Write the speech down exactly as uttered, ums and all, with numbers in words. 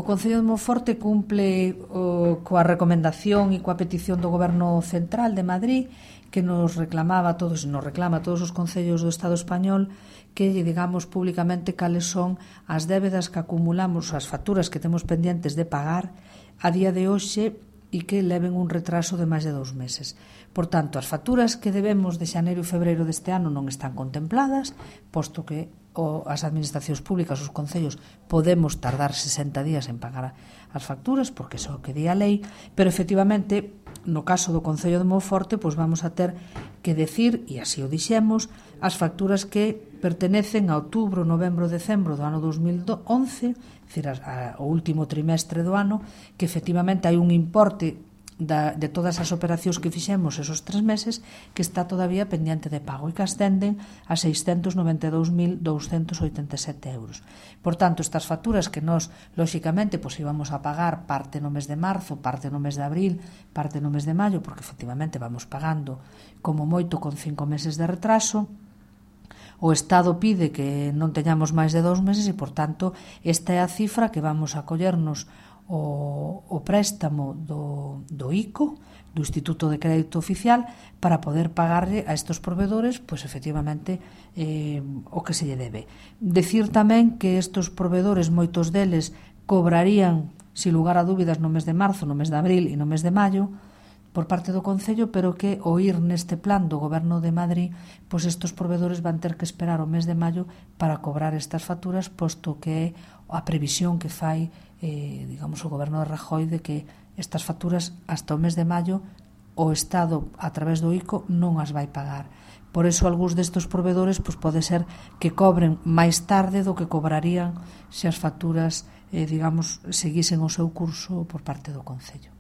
O Concello de Monforte cumple o, coa recomendación e coa petición do Goberno Central de Madrid, que nos reclamaba a todos, nos reclama a todos os concellos do Estado español que lle digamos públicamente cales son as débedas que acumulamos, as facturas que temos pendientes de pagar a día de hoxe e que leven un retraso de máis de dous meses. Por tanto, as facturas que debemos de xaneiro e febreiro deste ano non están contempladas, posto que o, as administracións públicas, os concellos, podemos tardar sesenta días en pagar as facturas, porque é o que di a lei, pero efectivamente, no caso do Concello de Monforte, pois vamos a ter que decir, e así o dixemos, as facturas que pertenecen a outubro, novembro, decembro do ano dos mil once, decir, a, a, o último trimestre do ano, que efectivamente hai un importe da, de todas as operacións que fixemos esos tres meses que está todavía pendiente de pago e que ascenden a seiscentos noventa e dous mil douscentos oitenta e sete euros. Por tanto, estas facturas que nós, lóxicamente, pois íbamos a pagar parte no mes de marzo, parte no mes de abril, parte no mes de maio, porque efectivamente vamos pagando como moito con cinco meses de retraso, o Estado pide que non teñamos máis de dous meses e, por tanto, esta é a cifra que vamos a collernos o, o préstamo do, do I C O, do Instituto de Crédito Oficial, para poder pagarle a estes proveedores, pois, efectivamente, eh, o que se lle debe. Decir tamén que estes proveedores, moitos deles, cobrarían, sin lugar a dúbidas, no mes de marzo, no mes de abril e no mes de maio, por parte do Concello, pero que ao ir neste plan do Goberno de Madrid, pois estes proveedores van ter que esperar o mes de maio para cobrar estas facturas, posto que é a previsión que fai, eh, digamos, o Goberno de Rajoy de que estas facturas hasta o mes de maio o Estado, a través do I C O, non as vai pagar. Por eso, algúns destes proveedores pois pode ser que cobren máis tarde do que cobrarían se as facturas, eh, digamos, seguisen o seu curso por parte do Concello.